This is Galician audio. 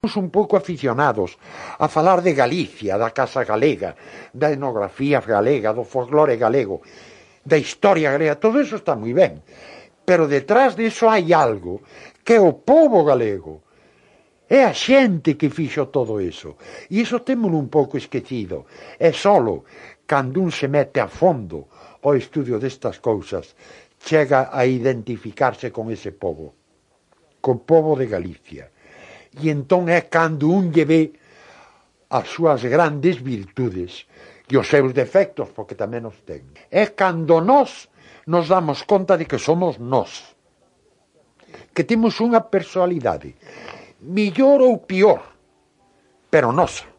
Un pouco aficionados a falar de Galicia, da Casa Galega, da etnografía galega, do folclore galego, da historia galega, todo eso está moi ben, pero detrás diso hai algo que é o pobo galego, é a xente que fixo todo eso, e iso témolo un pouco esquecido, é solo cando un se mete a fondo ao estudio destas cousas, chega a identificarse con ese pobo, co pobo de Galicia. E entón é cando un lle ve as súas grandes virtudes e os seus defectos, porque tamén os ten. É cando nós nos damos conta de que somos nós, que temos unha personalidade, millor ou pior, pero nosa.